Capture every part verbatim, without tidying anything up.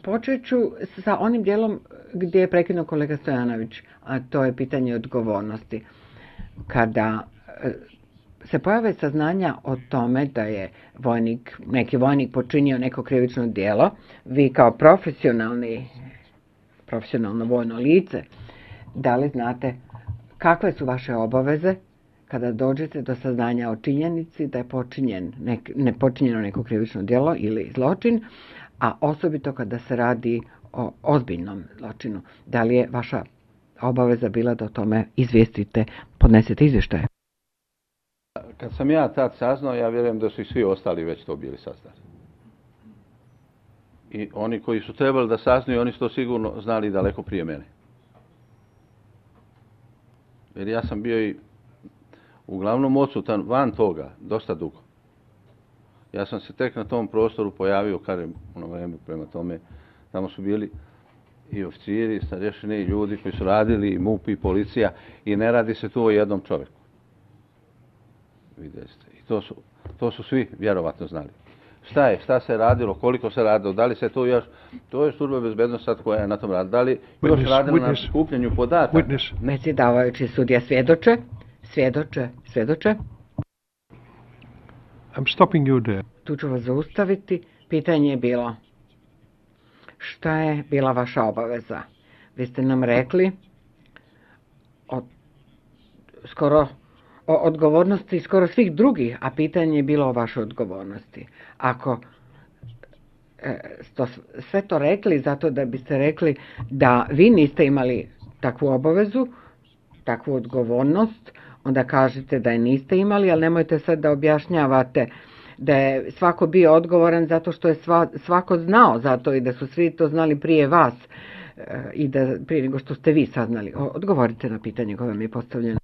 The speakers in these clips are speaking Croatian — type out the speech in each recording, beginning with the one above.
Počet ću sa onim dijelom gdje je prekinuo kolega Stojanović, a to je pitanje odgovornosti. Kada se pojave saznanja o tome da je vojnik, neki vojnik počinio neko krivično djelo, vi kao profesionalni, profesionalno vojno lice, da li znate kakve su vaše obaveze kada dođete do saznanja o činjenici da je počinjen nek, ne počinjeno neko krivično djelo ili zločin, a osobito kada se radi o ozbiljnom zločinu? Da li je vaša obaveza bila da o tome izvijestite, podnesete izvještaje? Kad sam ja tad saznao, ja vjerujem da su i svi ostali već to bili saznali. I oni koji su trebali da saznaju, oni su to sigurno znali daleko prije mene. Jer ja sam bio i uglavnom odsutan van toga, dosta dugo. Ja sam se tek na tom prostoru pojavio, kažem, ono vreme prema tome, tamo su bili i oficiri, starješine i ljudi koji su radili, i MUP i policija, i ne radi se tu o jednom čovjeku. Vidjeli ste. I to su, to su svi vjerovatno znali. Šta je, šta se radilo, koliko se radilo, da li se to još, to je služba bezbednosti sad koja je na tom radila, da li još radila na skupljanju podataka? Predsjedavajući sudija svjedoče, svjedoče, svjedoče. I'm stopping you there. Tu ću vas zaustaviti. Pitanje je bilo, šta je bila vaša obaveza? Vi ste nam rekli od, skoro o odgovornosti skoro svih drugih, a pitanje je bilo o vašoj odgovornosti. Ako e, sto, sve to rekli zato da biste rekli da vi niste imali takvu obavezu, takvu odgovornost, onda kažete da je niste imali, ali nemojte sad da objašnjavate da je svako bio odgovoran zato što je sva, svako znao zato i da su svi to znali prije vas e, i da prije nego što ste vi saznali. Odgovorite na pitanje koje vam je postavljeno.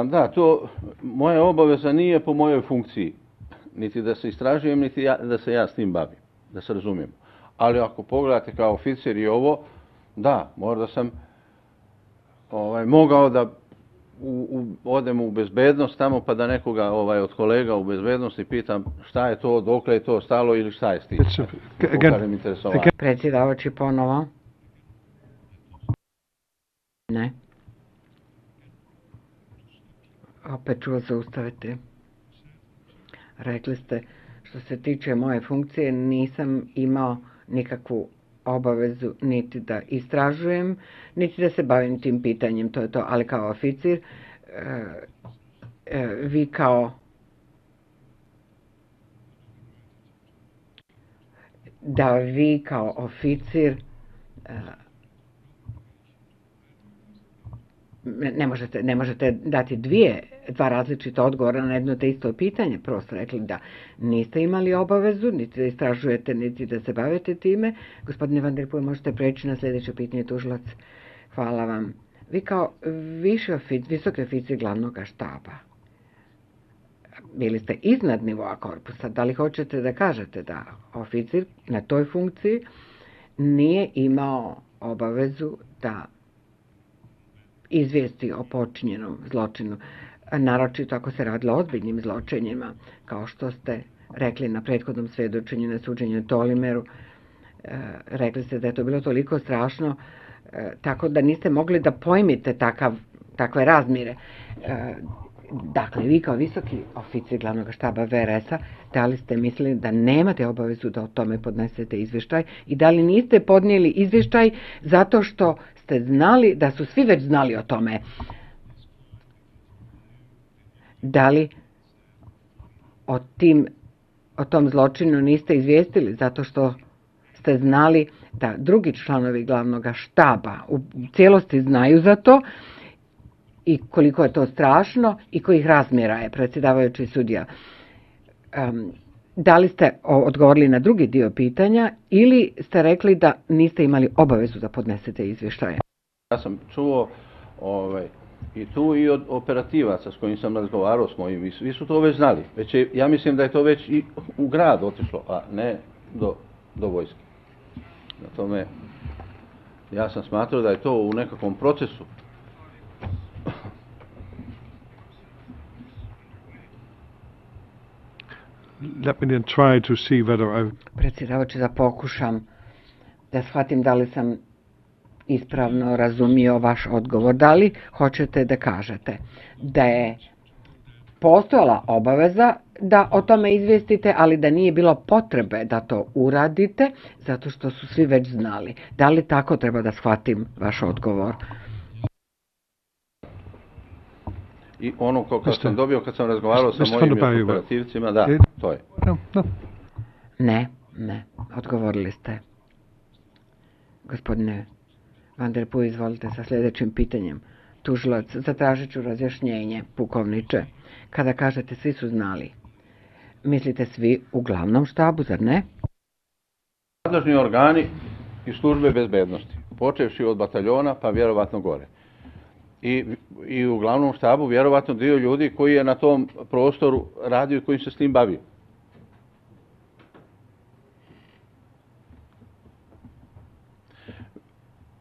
Da, to moja obaveza nije po mojoj funkciji, niti da se istražujem, niti ja, da se ja s tim bavim, da se razumijemo. Ali ako pogledate kao oficir i ovo, da, možda sam ovaj, mogao da u, u, odem u bezbednost tamo pa da nekoga ovaj, od kolega u bezbednosti pitam šta je to, dokle je to stalo ili šta je s tim. Predsjedavajući ponovo. Ne. Opet ću vas zaustaviti. Rekli ste, što se tiče moje funkcije, nisam imao nikakvu obavezu niti da istražujem, niti da se bavim tim pitanjem, to je to, ali kao oficir, e, e, vi kao da vi kao oficir e, ne možete, ne možete dati dvije, dva različita odgovora na jedno te isto pitanje. Prosto rekli da niste imali obavezu, niti da istražujete, niti da se bavite time. Gospodine Van der Poel, možete preći na sljedeće pitanje, tužilac. Hvala vam. Vi kao viši oficir, visoki oficir glavnog štaba, bili ste iznad nivoa korpusa. Da li hoćete da kažete da oficir na toj funkciji nije imao obavezu da izvijesti o počinjenom zločinu, naročito ako se radilo o ozbiljnim zločinima, kao što ste rekli na prethodnom svjedočenju na suđenju Tolimeru. E, rekli ste da je to bilo toliko strašno, e, tako da niste mogli da pojmite takav, takve razmire. E, dakle, vi kao visoki oficir glavnog štaba V R S-a, da li ste mislili da nemate obavezu da o tome podnesete izvještaj i da li niste podnijeli izvještaj zato što ste znali da su svi već znali o tome? Da li o, tim, o tom zločinu niste izvijestili zato što ste znali da drugi članovi glavnog štaba u cijelosti znaju za to i koliko je to strašno i kojih razmjera je, predsjedavajući sudija? Um, da li ste odgovorili na drugi dio pitanja ili ste rekli da niste imali obavezu da podnesete izvještaje? Ja sam čuo ovaj, i tu i od operativaca s kojim sam razgovarao s mojim, svi su to već znali. Već je, ja mislim da je to već i u grad otišlo, a ne do, do vojske. Na tome, ja sam smatrao da je to u nekakvom procesu. Let me then try to see whether I... Predsjedavajući, da pokušam da shvatim da li sam ispravno razumio vaš odgovor. Da li hoćete da kažete da je postojala obaveza da o tome izvijestite, ali da nije bilo potrebe da to uradite, zato što su svi već znali? Da li tako treba da shvatim vaš odgovor? I ono ko kad sam dobio, kad sam razgovarao sa mojim operativcima, da, to je. Ne, ne, odgovorili ste. Gospodine Van der Poel, izvolite sa sljedećim pitanjem. Tužilac, zatražit ću razjašnjenje, pukovniče. Kada kažete svi su znali, mislite svi u glavnom štabu, zar ne? Nadležni organi i službe bezbednosti, počevši od bataljona pa vjerovatno gore. I, i u glavnom štabu vjerovatno dio ljudi koji je na tom prostoru radio i koji se s tim bavio.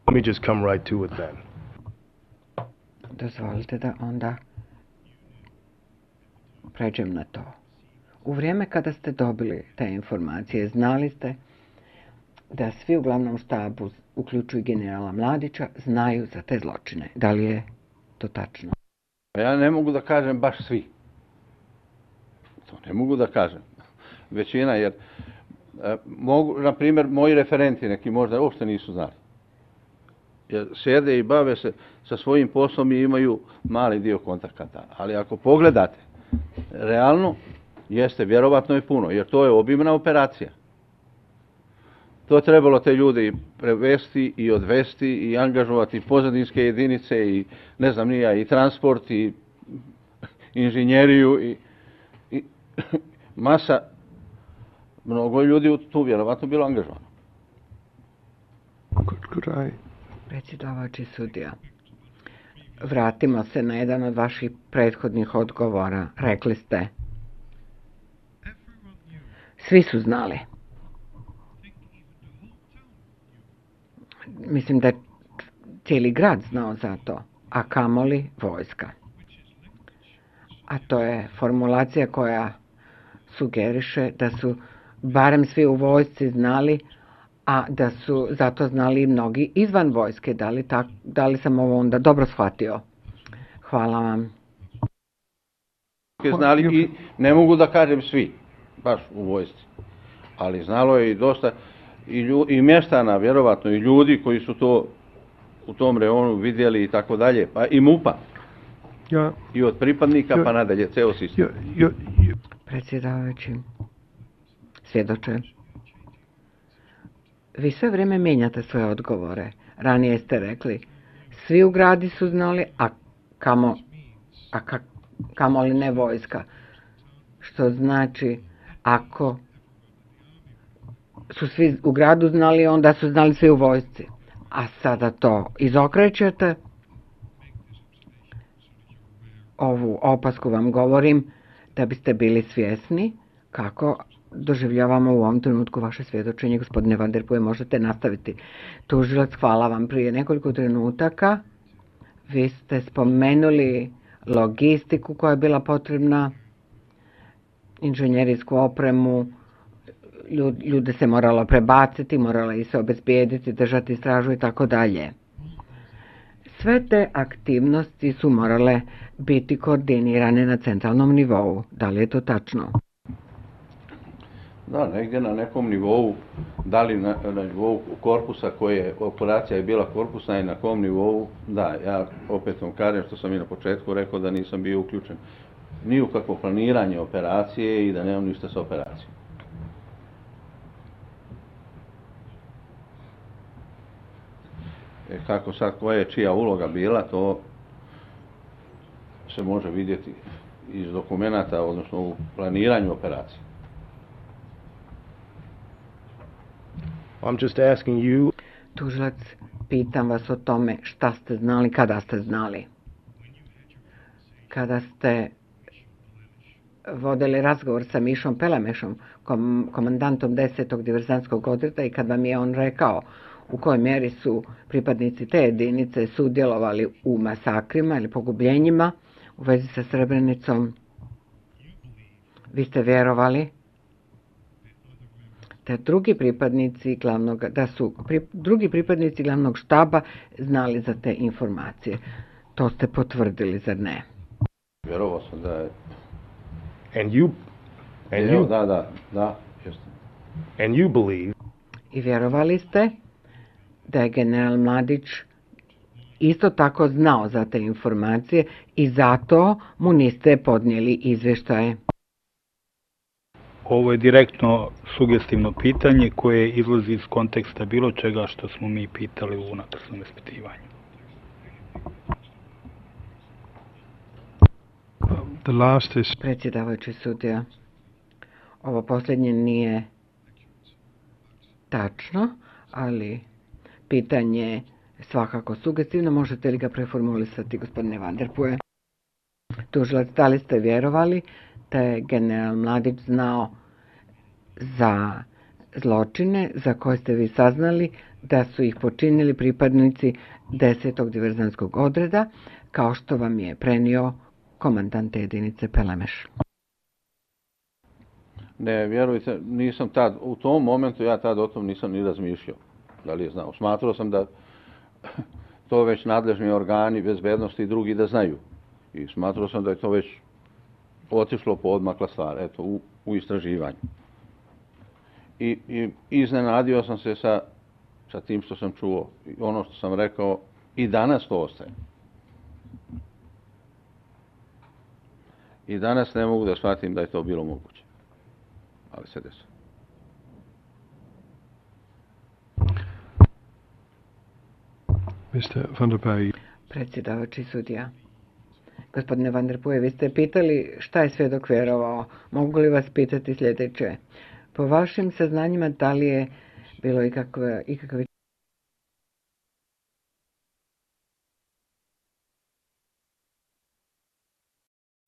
Let me just come right to it then. Dozvolite da onda pređem na to. U vrijeme kada ste dobili te informacije, znali ste da svi u glavnom štabu, uključuju generala Mladića, znaju za te zločine. Da li je to tačno? Ja ne mogu da kažem baš svi. To ne mogu da kažem. Većina, jer e, mogu, na primjer, moji referenti neki možda uopšte nisu znali. Jer sjede i bave se sa svojim poslom i imaju mali dio kontakata. Ali ako pogledate, realno jeste vjerovatno i puno, jer to je obimna operacija. To je trebalo te ljude i prevesti i odvesti i angažovati pozadinske jedinice i ne znam nija i transport i inženjeriju i, i masa, mnogo ljudi tu vjerovatno bilo angažovano. Predsjedavajući sudija, vratimo se na jedan od vaših prethodnih odgovora. Rekli ste, svi su znali. Mislim da je cijeli grad znao za to, a kamoli vojska. A to je formulacija koja sugeriše da su barem svi u vojsci znali, a da su zato znali i mnogi izvan vojske. Da li, tak, da li sam ovo onda dobro shvatio? Hvala vam. Znali i ne mogu da kažem svi, baš u vojsci, ali znalo je i dosta i, lju, i mještana, vjerovatno, i ljudi koji su to u tom reonu vidjeli i tako dalje, pa i MUPA. Ja, i od pripadnika ja, pa nadalje, ceo sistem. Ja, ja, ja. Predsjedavajući, svjedoče, vi sve vrijeme mijenjate svoje odgovore. Ranije ste rekli, svi u gradi su znali, a kamo, a ka, kamo li ne vojska. Što znači, ako su svi u gradu znali, onda su znali svi u vojsci. A sada to izokrećete. Ovu opasku vam govorim da biste bili svjesni kako doživljavamo u ovom trenutku vaše svjedočenje. Gospodine Van der Poel, možete nastaviti. Tužilac, hvala vam. Prije nekoliko trenutaka vi ste spomenuli logistiku koja je bila potrebna, inženjerijsku opremu, ljude se moralo prebaciti, moralo i se obezbijediti, držati stražu i tako dalje. Sve te aktivnosti su morale biti koordinirane na centralnom nivou. Da li je to tačno? Da, negdje na nekom nivou, da li na, na nivou korpusa koje operacija je bila korpusna i na kom nivou, da, ja opet vam kažem što sam i na početku rekao da nisam bio uključen ni u kakvo planiranje operacije i da nemam ništa sa operacijom. E, kako sad, koja je čija uloga bila, to se može vidjeti iz dokumenata, odnosno u planiranju operacije. I'm just asking you. Tužilac, pitam vas o tome šta ste znali, kada ste znali. Kada ste vodili razgovor sa Mišom Pelamešom, kom, komandantom desetog diverzantskog odreda, i kad vam je on rekao u kojoj mjeri su pripadnici te jedinice sudjelovali u masakrima ili pogubljenjima u vezi sa Srebrenicom, vi ste vjerovali da drugi pripadnici glavnog, da su pri, drugi pripadnici glavnog štaba znali za te informacije. To ste potvrdili, zar ne? Vjerovao sam da je... And you, and Evo, you, da, da, da, jeste. and you believe I vjerovali ste da je general Mladić isto tako znao za te informacije i zato mu niste podnijeli izvještaje. Ovo je direktno sugestivno pitanje koje izlazi iz konteksta bilo čega što smo mi pitali u unutrašnjem ispitivanju. The last is... Predsjedavajući sudija, ovo posljednje nije tačno, ali pitanje je svakako sugestivno. Možete li ga preformulisati, gospodine Van der Puhe? Tužilac, da li ste vjerovali da je general Mladić znao za zločine za koje ste vi saznali da su ih počinili pripadnici desetog diverzantskog odreda, kao što vam je prenio komandant jedinice Pelemeš? Ne, vjerujte, nisam tad, u tom momentu ja tad o tom nisam ni razmišljao. Da li je znao? Smatrao sam da to već nadležni organi bezbednosti i drugi da znaju. I smatrao sam da je to već otišlo po odmakla stvar, eto, u, u istraživanju. I, i iznenadio sam se sa, sa tim što sam čuo. I ono što sam rekao, i danas to ostaje. I danas ne mogu da shvatim da je to bilo moguće. Ali se desilo. mister Van der Puhe. Predsjedavajući sudija. Gospodine Van der Puhe, vi ste pitali šta je svjedok vjerovao. Mogu li vas pitati sljedeće? Po vašim saznanjima, da li je bilo ikakve, ikakve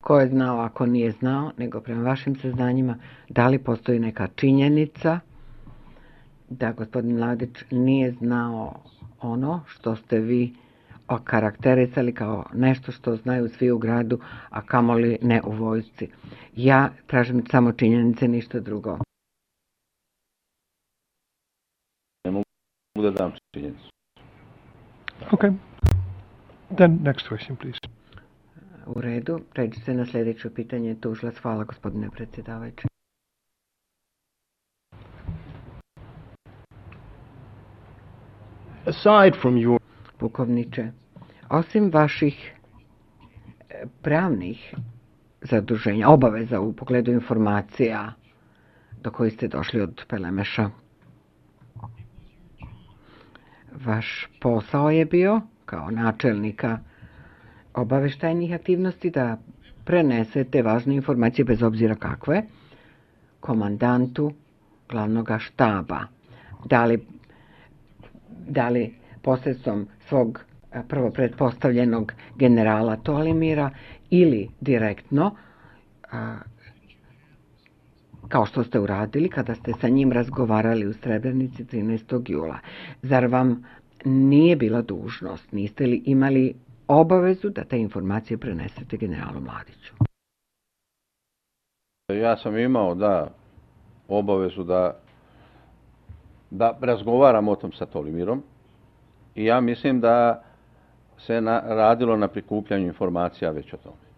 ko je znao, ako nije znao, nego prema vašim saznanjima, da li postoji neka činjenica da gospodin Mladić nije znao ono što ste vi okarakterisali kao nešto što znaju svi u gradu, a kamoli ne u vojsci. Ja tražim samo činjenice, ništa drugo. Ne mogu da dam činjenicu. Okay. Then next question, please. U redu, pređi se na sljedeće pitanje. Tužilac, hvala gospodine predsjedavajući. aside from your Pukovniče, osim vaših pravnih zaduženja, obaveza u pogledu informacija do kojih ste došli od Pelemeša, vaš posao je bio, kao načelnika obaveštajnih aktivnosti, da prenesete važne informacije, bez obzira kakve, komandantu glavnog štaba. Da li, da li posredstvom svog prvo pretpostavljenog generala Tolimira ili direktno, kao što ste uradili kada ste sa njim razgovarali u Srebrenici trinaestog jula. Zar vam nije bila dužnost, niste li imali obavezu da te informacije prenesete generalu Mladiću? Ja sam imao, da, obavezu da, da razgovaram o tom sa Tolimirom i ja mislim da se na, radilo na prikupljanju informacija već o tome.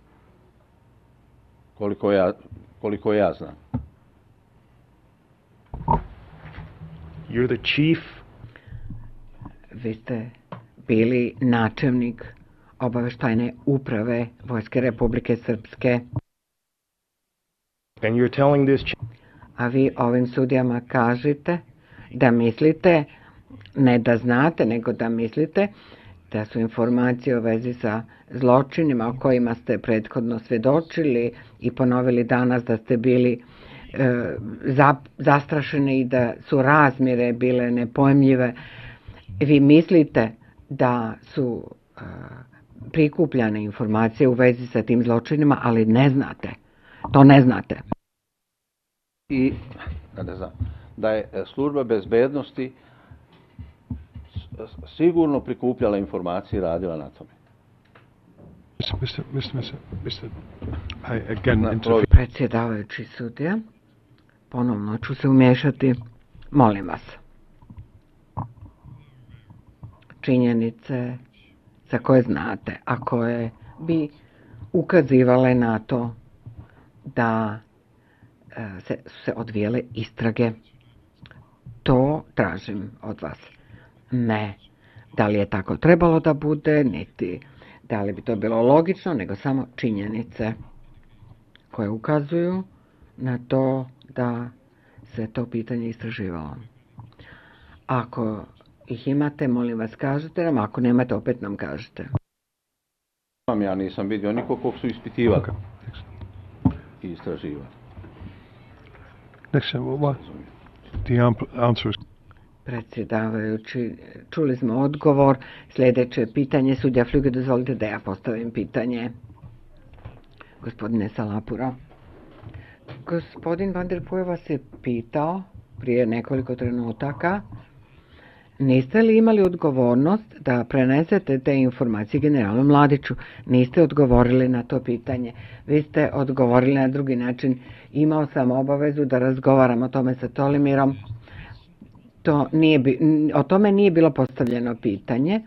Koliko ja, koliko ja znam. you're the chief Vi ste bili načelnik obaveštajne uprave Vojske Republike Srpske, and you're telling this ch- a vi ovim sudijama kažete da mislite, ne da znate, nego da mislite da su informacije u vezi sa zločinima o kojima ste prethodno svjedočili i ponovili danas da ste bili e, za, zastrašeni i da su razmjere bile nepojmljive. Vi mislite da su e, prikupljane informacije u vezi sa tim zločinima, ali ne znate. To ne znate. I, da ne znam, da je služba bezbednosti sigurno prikupljala informacije i radila na tome. mister mister mister mister I again Na interfere. Predsjedavajući sudija, ponovno ću se umješati. Molim vas. Činjenice za koje znate, a koje bi ukazivale na to da se, su se odvijele istrage. To tražim od vas. Ne da li je tako trebalo da bude, niti da li bi to bilo logično, nego samo činjenice koje ukazuju na to da se to pitanje istraživalo. Ako ih imate, molim vas kažete nam, ako nemate, opet nam kažete. Ja nisam vidio nikog kog su ispitivali i istraživali. Next, what? The answer is... Predsjedavajući, čuli smo odgovor. Sljedeće pitanje, sudija Flüge, dozvolite da ja postavim pitanje. Gospodine Salapura. Gospodin Van der Puy vas je pitao prije nekoliko trenutaka, niste li imali odgovornost da prenesete te informacije generalu Mladiću? Niste odgovorili na to pitanje. Vi ste odgovorili na drugi način. Imao sam obavezu da razgovaram o tome sa Tolimirom. To nije, o tome nije bilo postavljeno pitanje.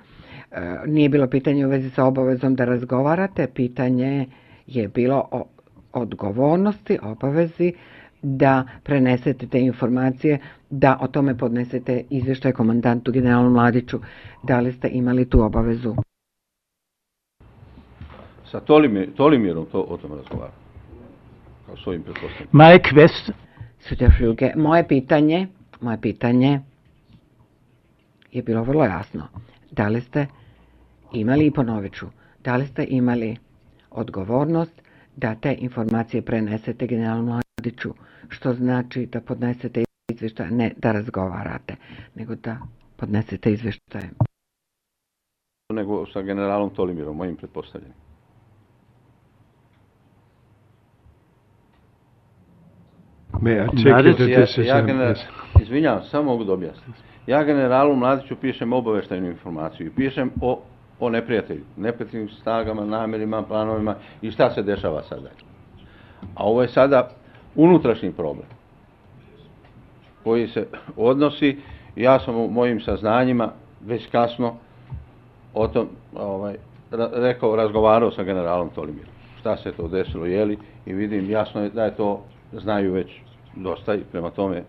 Nije bilo pitanje u vezi sa obavezom da razgovarate. Pitanje je bilo o odgovornosti, obavezi da prenesete te informacije, da o tome podnesete izvještaj komandantu generalu Mladiću. Da li ste imali tu obavezu? Sa Tolimir, Tolimirom to o tome razgovaram. Kao svojim pretpostavljam. My quest... Sudja Flüge, moje pitanje, moje pitanje je bilo vrlo jasno. Da li ste imali, i ponovit ću, da li ste imali odgovornost da te informacije prenesete generalu Mladiću, što znači da podnesete izvještaj, ne da razgovarate, nego da podnesete izvještaje. Nego sa generalom Tolimirom, mojim pretpostavljanjem. May I take it that Ja, this is... ja um, general, yes. izvinjavam, samo mogu da objasnim. Ja generalu Mladiću pišem obavještajnu informaciju i pišem o, o neprijatelju, neprijateljnim snagama, namjerima, planovima i šta se dešava sada. A ovo je sada unutrašnji problem koji se odnosi, ja sam u mojim saznanjima već kasno o tom ovaj, rekao, razgovarao sa generalom Tolimirom. Šta se to desilo, jeli, i vidim jasno je da je to znaju već dosta i prema tome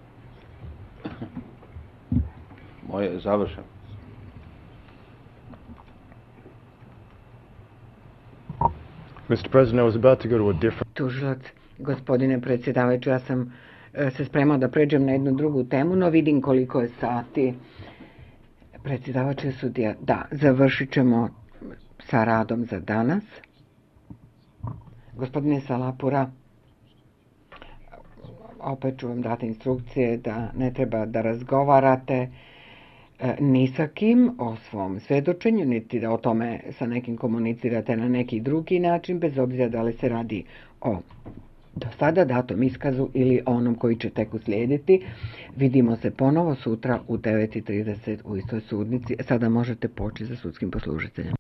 moje je završeno. Mister President, I was about to go to a different... Tužilac, gospodine predsjedavajući, ja sam e, se spremao da pređem na jednu drugu temu, no vidim koliko je sati. Predsjedavajući sudija, da, završit ćemo sa radom za danas. Gospodine Salapura, opet ću vam dati instrukcije da ne treba da razgovarate ni sa kim o svom svjedočenju, niti da o tome sa nekim komunicirate na neki drugi način, bez obzira da li se radi o do sada datom iskazu ili onom koji će tek uslijediti. Vidimo se ponovo sutra u devet i trideset u istoj sudnici. Sada možete poći za sudskim poslužiteljem.